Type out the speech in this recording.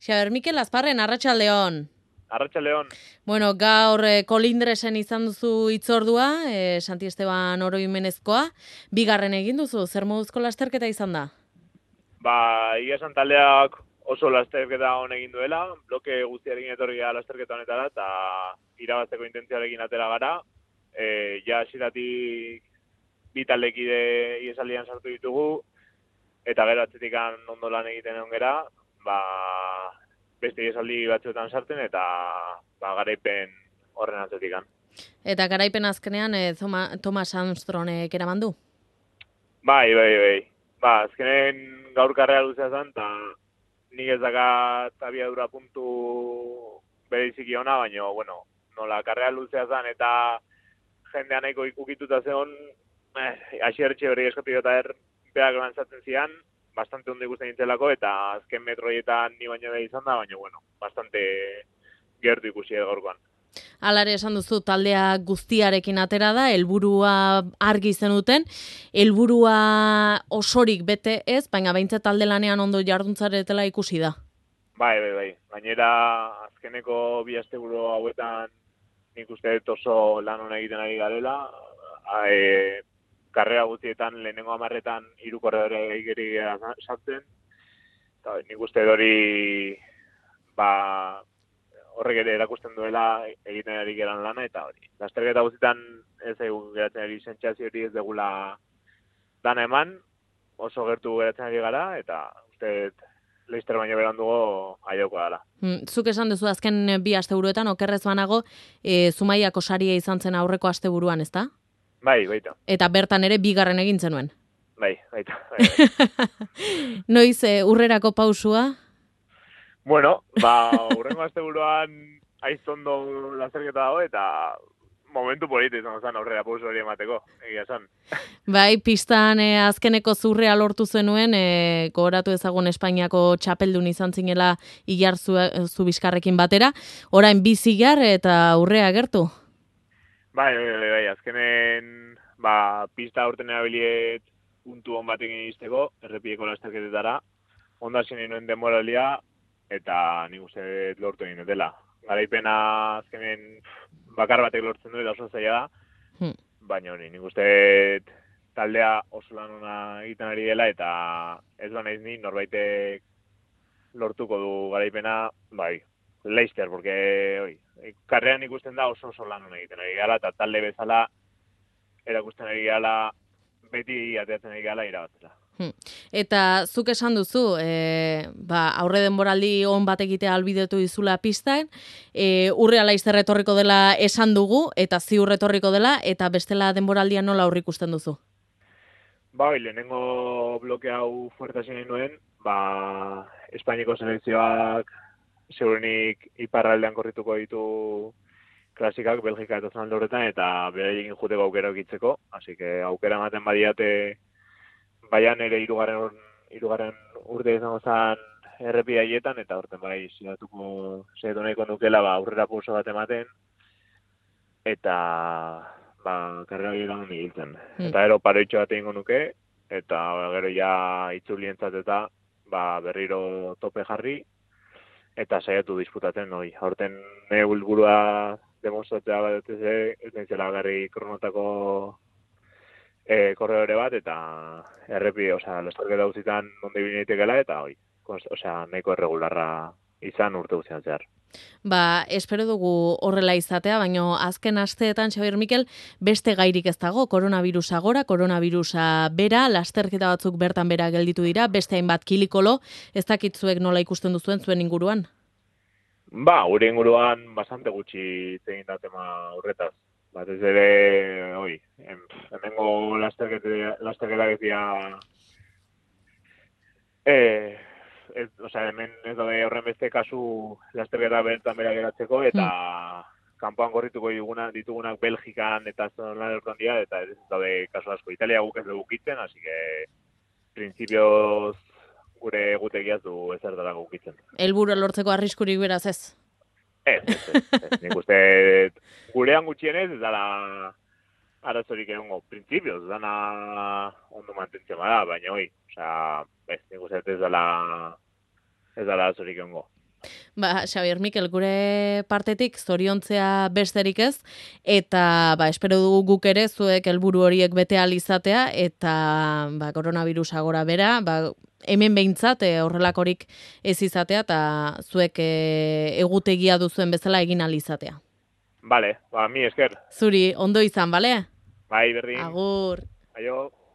Xaber Mikel Azparren, arratsaldeon. Arratsaldeon. Bueno, gaur kolindresen izan duzu hitzordua, Santi Esteban oroimenezkoa, bigarren egin duzu, zer moduzko lasterketa izan da? Ia esan taldeak oso lasterketa hon egin duela, bloke guztiarekin etorri gara lasterketa honetara, eta irabazteko intentzioarekin atera gara. Ja hasieratik bi taldekide iesaldian sartu ditugu, eta gero atzetik ondo lan egiten egon gera, beste iesaldi batzuetan sartzen, eta garaipen horren atzetik. Eta garaipen azkenean Thomas Armstrongek eraman du? Bai. Azkenen gaur karrera luzea zen, eta nik ez dakat abiadura puntu bereziki ona, baina, bueno, nola karrera luzea zen, eta jendea nahiko ukituta zeon, asierretxe hori eskatu eta beak lantzatzen zian, bastante ondo ikusten nintzelako, eta azken metroietan ni baino da izan da, baina, bueno, bastante gertu ikusi gaurkoan. Alare esan duzu taldea guztiarekin atera da, helburua argi zenuten, helburua osorik bete ez, baina behintzat talde lanean ondo jarduntzaretela ikusi da. Bai. Gainera, azkeneko bi asteburu hauetan nik uste dut oso lan hona egiten ari garela. Karrera guztietan lehenengo 10etan 3 korredore egiri sartzen. Eta nik uste dut hori horrek ere erakusten duela egiten ari geran lana, eta hori. Lasterketa guztietan ez egun geratzen ari sentsazio hori ez degula dana eman, oso gertu geratzen ari gara, eta uste dut Leister baino berandugo aioko dela. Zuk esan duzu azken 2 asteburuetan, okerrez banago, Zumaiako saria izan zen aurreko asteburuan, ezta? Bai, baita. Eta bertan ere bigarren egin zenuen. Bai, baita. Noiz urrerako pausua? Bueno, urrengo asteburuan aizondo lasterketa dago, eta momentu polita izan zen aurrera pauso hori emateko, egia esan. Bai, pistan azkeneko zurrea lortu zenuen, gogoratu ezagun Espainiako txapeldun izan zinela Ilar Zubizkarrekin batera, orain 2 zigar eta urrea gertu? Bai, azkenen pista aurten erabiliet puntu hon batekin izteko, errepieko lasterketetara, ondo hasi nuen denboralia, eta nik uste lortu egin dela. Garaipena azkenen bakar batek lortzen du, eta oso zaila da, baina hori, nik uste taldea oso lan ona egiten ari dela, eta ez naiz ni norbaitek lortuko du garaipena, bai, Leister, porque karrean ikusten da oso lan ona egiten ari gala, eta talde bezala erakusten ari gala, beti ateatzen ari gala irabaztela. Eta zuk esan duzu, aurre denboraldi on bat egitea albidetu dizula pistan, urrea Leister etorriko dela esan dugu, eta ziur etorriko dela, eta bestela denboraldia nola aurrikusten duzu? Bai, lehenengo bloke hau fuerte hasi nuen, Espainiako selekzioak segurenik iparraldean korrituko ditu klasikak, Belgika eta Zalanda horretan, eta beraiekin juteko aukera egitzeko, así que aukera ematen badiate, baian ere hirugarren urte izango zen errepide haietan, eta horten saiatu nahiko nukela aurrera pauso bat ematen, eta karrera horietan egiten. Eta gero paroitxo bat egingo nuke, eta gero ja itzulientzat eta berriro tope jarri, eta saiatu disputatzen hori. Horten nire helburua demostratzea bat ez nintzela garri kronotako korredore bat, eta errepide, lasterketa guztietan onde bineetekela, eta hori, nahiko erregularra izan urte guztian zehar. Espero dugu horrela izatea, baina azken asteetan, Xabier Mikel, beste gairik ez dago, koronavirusa gora, koronavirusa bera, lasterketa batzuk bertan bera gelditu dira, beste hainbat kilikolo, ez dakitzuek nola ikusten duzuen zuen inguruan? Gure inguruan bastante gutxi zegin da tema horretaz. Batez ere, hemengo lasterketa gezia, hemen ez daude horren beste kasu lasterketa bertan bera geratzeko, eta kanpoan korrituko ditugunak Belgikan eta zonan hortan dira, eta ez daude kasu asko. Italia guk ez dugu kitzen, así que principios gure egutegiaz du ezer dara gukitzen. Helburua lortzeko arriskurik beraz ez? Ez. Nik uste gurean gutxienez ez dala arazorik egongo. Principios, dana ondo mantentzen bada, baina nik uste ez dala arazorik egongo. Xabier Mikel, gure partetik zoriontzea besterik ez, eta espero dugu guk ere zuek helburu horiek bete ahal izatea, eta koronavirusa gora bera, hemen behintzat horrelakorik ez izatea, eta zuek egutegia duzuen bezala egin ahal izatea. Bale, mi esker. Zuri, ondo izan, bale? Bai, berdin. Agur. Aio.